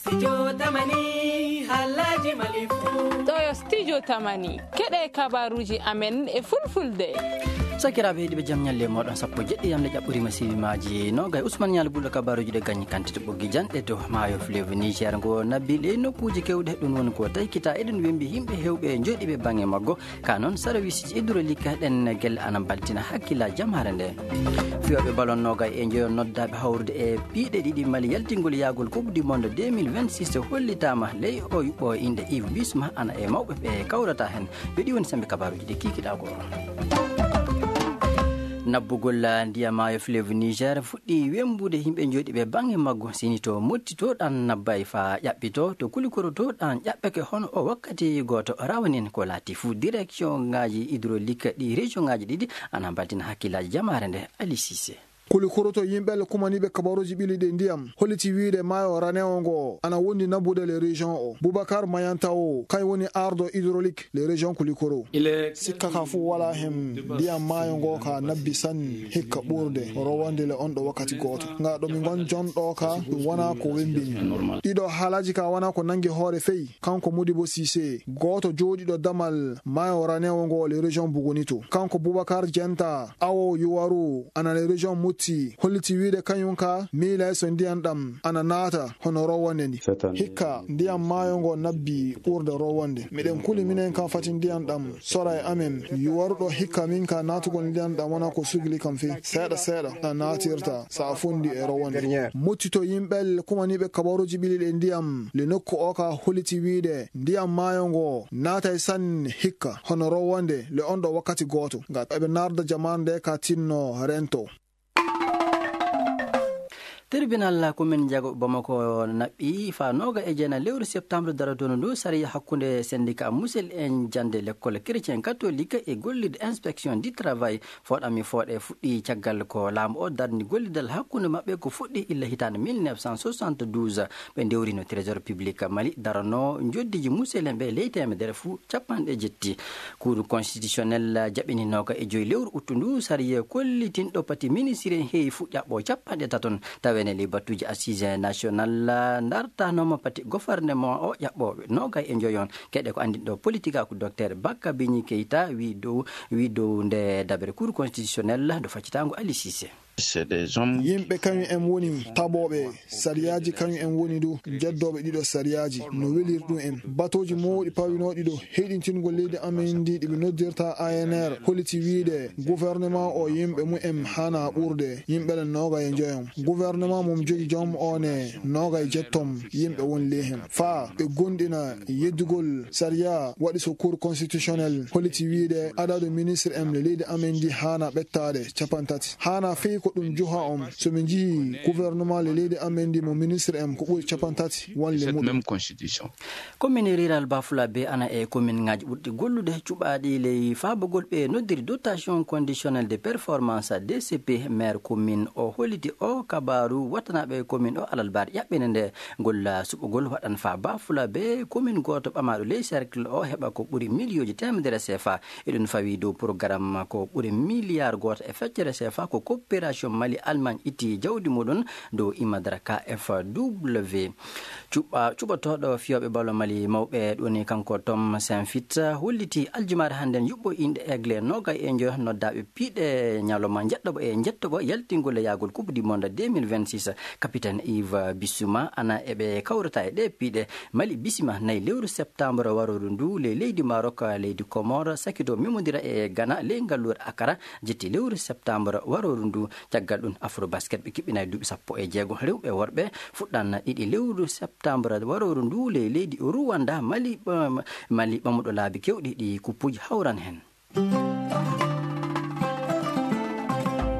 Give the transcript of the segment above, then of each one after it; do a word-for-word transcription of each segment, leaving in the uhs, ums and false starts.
Studio Tamani, haalaaji Mali fuu. Ɗo yo Studio Tamani, keɗe kabaruuji amen e fulfulde. Sakiraaɓe heɗiiɓe, jam ñalle mooɗon, sappo e jeɗɗi yamle ƴaɓɓoriima siwimaaji noogay. Usman Ñaali Pullo, kabaruuji ɗe gañi kantite ɓoggi janɗe to maayo fleuve Niger ngo nabbi ley nokkuuji keewɗi. Ɗum woni ko taykita, eɗen wembi yimɓe heewɓe jooɗiiɓe baŋnge maggo. Ka noon, sarwisiji hydraulique ɗen gelle ana mbaltina hakkillaaji jamaare nde. Fiyooɓe ballon noogay e njoyo noddaaɓe hawrude e piiɗe ɗiɗi Mali yaltingol yaagol Coupe du Monde deux mille vingt-six hollitaama ley o yuɓɓo innde Yves Bissouma, ana e mawɓe ɓe kawrata heen. Yo ɗi woni semmbe kabaruuji ɗi kiikiɗaa ko. Nabbugol ndiyam maayo fleuve Niger fuɗɗi wembude yimɓe jooɗiiɓe baŋnge maggo, sini to motti to ɗan nabbay faa ƴaɓɓito, to kulikoro to ɗan ƴaɓɓeke hono o wakkati gooto rawanin ko laati fuu. Direction ngaaji hydraulique ɗi région ngaaji ɗiɗi ana mbaltina hakkillaaji jamaare nde. Ali Cissé. Kulikoro to yimɓe le kumaniiɓe kabaruuji ɓiliiɗe ndiyam holliti wiyde maayo ranewo ngo ana wondi nabbude le région o. Boubacar Mayanta o, kay woni ardo hydraulique le région kulikoro. Sikka ka fuu walaa heen, ndiyam maayo ngo ka nabbi sanne hikka ɓurde rowande le on ɗo wakkati gooto. Nga ɗo mi ngon jonɗo ka, ɗum wona ko wembini. Ɗiɗo haalaaji ka wona ko nangi hoore fey, kanko Modibo Cissé, gooto jooɗiiɗo damal maayo ranewo ngo le région Bugunito. Kanko Boubacar Dienta, awo Yuwaru, ana le région Mutti, holliti wiyde kañum ka miilay so ndiyam ɗam ana naata hono rowande ndi. Hikka, ndiyam maayo ngo nabbi ɓurde rowande. Miɗen kuli minen kam fati ndiyam ɗam sora e amen. Yuwaruɗo hikka min ka naatugol ndiyam ɗam wona ko sugli kam fey. Seeɗa seeɗa a naatirta sa a fondi e rowande. Muttito yimɓe kumaniiɓe kabaruuji ɓiliiɗe ndiyam le nokku o ka holliti wiyde ndiyam maayo ngo naatay sanne hikka hono rowande le on ɗo wakkati gooto. Ngam eɓe narda jamaare nde ka tinno rento. Tribunal commune Diago Bamako naɓɓi faa nooga e jeenayi lewru septembre darotoondu ndu sariya hakkunde syndicat Musel en jannde l'école chrétien catholique e gollirde inspection du travail fooɗami fooɗe fuɗɗi caggal ko laamu o darni gollidal hakkunde maɓɓe ko fuɗɗi illa hitaande mille neuf cent soixante-douze. Ɓe ndewrino trésor public Mali darano njoddiiji Musel en ɓe ley teemedere fuu capanɗe jetti. Cour constitutionnel jaɓini nooga e joyi lewru uttu ndu sariya kollitinɗo pati ministre en heewi fuu ƴaɓɓo capanɗe taton. Taweene ley battuuji assise national dartanooma pati gouvernement o ƴaɓɓooɓe nooga e njoyon. Keɗe ko anndinɗo politique ko docteur Bakka Bigni Keita wi dow, wi dow nde daɓere Cour constitutionnel do faccitaango Ali Cissé. Yimɓe kañum en woni taɓooɓe sariyaaji, kañum en woni du jeddooɓe ɗiɗo sariyaaji no weliri ɗum en. Batooji mawɗi pawinooɗi ɗo heyɗintingol leydi amen ndi ɗi ɓe noddirta A N R holliti wiyde gouvernement o yimɓe mum en hana ɓurde yimɓe le nooga e njoyon. Gouvernement mum jogi joom o ne nooga e jettom yimɓe won ley hen. Faa ɓe gondina yeddugol sariya waɗi so Cour constitutionnel holliti wiyde adadu ministre en le leydi amen ndi hana ɓettaade capantati. Hana fey ko ɗum juha on. So min njihi gouvernement le leydi amen ndi mo ministre en ko ɓuri capantati wonle muɗum. Commune rurale Bafulabe ana e commune ngaji ɓurɗi gollude cuɓaaɗi ley faabagol ɓe noddiri dotation conditionnelle de performance, D C P. Maire commune o holliti o kabaru wattanaɓe commune o alalbar ƴaɓɓene nde golla suɓugol waɗan fa Bafulabe commune goto ɓamaɗo ley cercle o heɓa ko ɓuri miliyonji temedere C F A. Eɗum fawi dow programme ko ɓuri miliyar goto e feccere C F A ko coopération Mali Allemagne itti jawdi muɗum dow imadara K F W. Cuɓa-, cuɓotooɗo fiyooɓe balo Mali mawɓe ɗum woni kanko Tom Saint-Fit holliti aljumaare hannden yuɓɓo inɗe Aigle noogay e njoyo noddaaɓe piiɗe ñalawma njeɗɗoɓo e njettoɓo yaltingol e yaagol Coupe du Monde deux mille vingt-six. Capitaine Yves Bissouma ana e ɓe kawrata e ɗe piiɗe. Mali bisima nayi lewru septembre warooru ndu le leydi Maroc, leydi Comore sakito memodira e Ghana ley ngalluure Accra jetti lewru septembre warooru ndu. Caggal ɗum Afrobasket ɓe kiɓɓinay duuɓi sappo e jeego rewɓe e worɓe fuɗɗan ɗiɗi lewru septembre warooru ndu ley leydi Rwanda. Mali, ɓam-, Mali ɓamuɗo laabi kewɗi ɗi kuppuji hawran hen.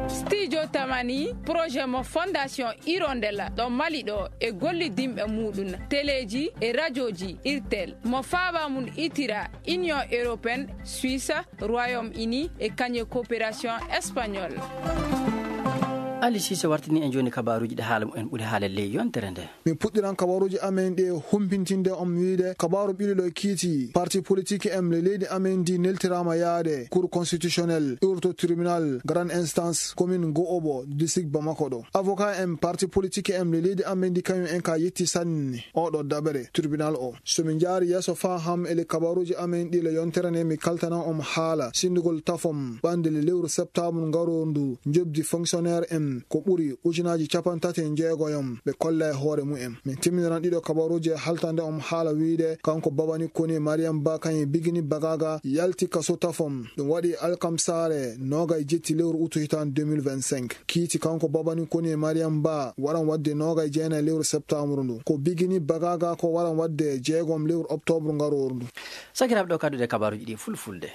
Studio Tamani, projet mo Fondation Hirondelle ɗo Mali ɗo e gollidinɓe muɗum, teleji e rajoji Irtel, mo faaba mum itira Union Européenne, Suisse, Royaume-Uni e kañe coopération espagnole. Ali Sise wartini en jooni kabaaruuji ɗi haala mumen ɓuri haala ley yontere nde. Min puɗɗiran kabaaruuji amen ɗi e humpintinde on wiide kabaaru ɓiɗo ɗo kiiti parti politique en le leydi amen ndi neltiraama yaade Cour constitutionnelle, iwrto tribunal grande instance commune Go'obo district Bamako ɗo. Avocat en parti politique en le leydi amen ndi kañum en ka yetti sanne oɗo daɓere tribunal o. So min njaari yeeso faa ham e le kabaaruuji amen ɗi le yontere nde mi kaltanan on haala sindugol tafom ɓande le lewru septembre ngaroo ndu njobdi fonctionnaire en ko ɓuri ujunaaji capanɗe tati e njeegoyom ɓe kolla e hoore mumen. Min timminiran ɗiɗo kabaaruuji e haltande on haala wiide kanko Babani Koni Mariam Ba kañum e Bigini Bagaga yalti kaso tafom. Ɗum waɗi alkamsaare noogay jetti lewru utu hitaande deux mille vingt-cinq. Kiiti kanko Babani Koni e Mariam Ba waran waɗde noogay jeenay lewru septembre ndu. Ko Bigini Bagaga ko waran waɗde jeegom lewru octobre ngarooru ndu. Sakiraaɓe, ɗo kadduɗe kabaaruuji ɗi fulfulde.